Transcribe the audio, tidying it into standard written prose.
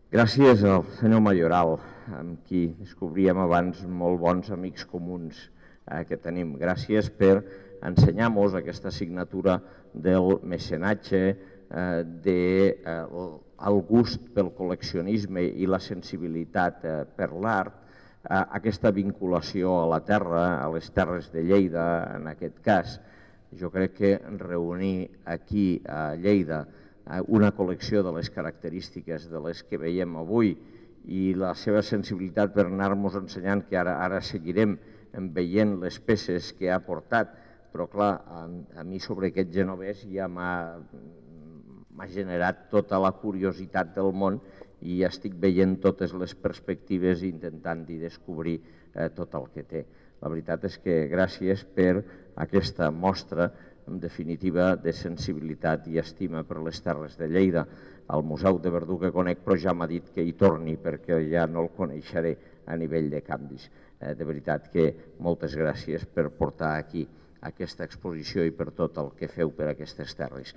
Gràcies al senyor Mayoral, amb qui descobríem abans molt bons amics comuns que tenim. Gràcies per ensenyar-nos aquesta assignatura del mecenatge, del gust pel col·leccionisme i la sensibilitat per l'art, aquesta vinculació a la terra, a les terres de Lleida en aquest cas. Jo crec que reunir aquí a Lleida una col·lecció de les característiques de les que veiem avui i la seva sensibilitat per anar-nos ensenyant, que ara seguirem veient les peces que ha portat, però clar, a mi sobre aquest genovès ja m'ha generat tota la curiositat del món i ja estic veient totes les perspectives i intentant-hi descobrir tot el que té. La veritat és que gràcies per aquesta mostra, en definitiva, de sensibilitat i estima per les terres de Lleida. Al Museu de Verdú que conec, però ja m'ha dit que hi torni perquè ja no el coneixeré a nivell de canvis. De veritat que moltes gràcies per portar aquí aquesta exposició i per tot el que feu per aquestes terres.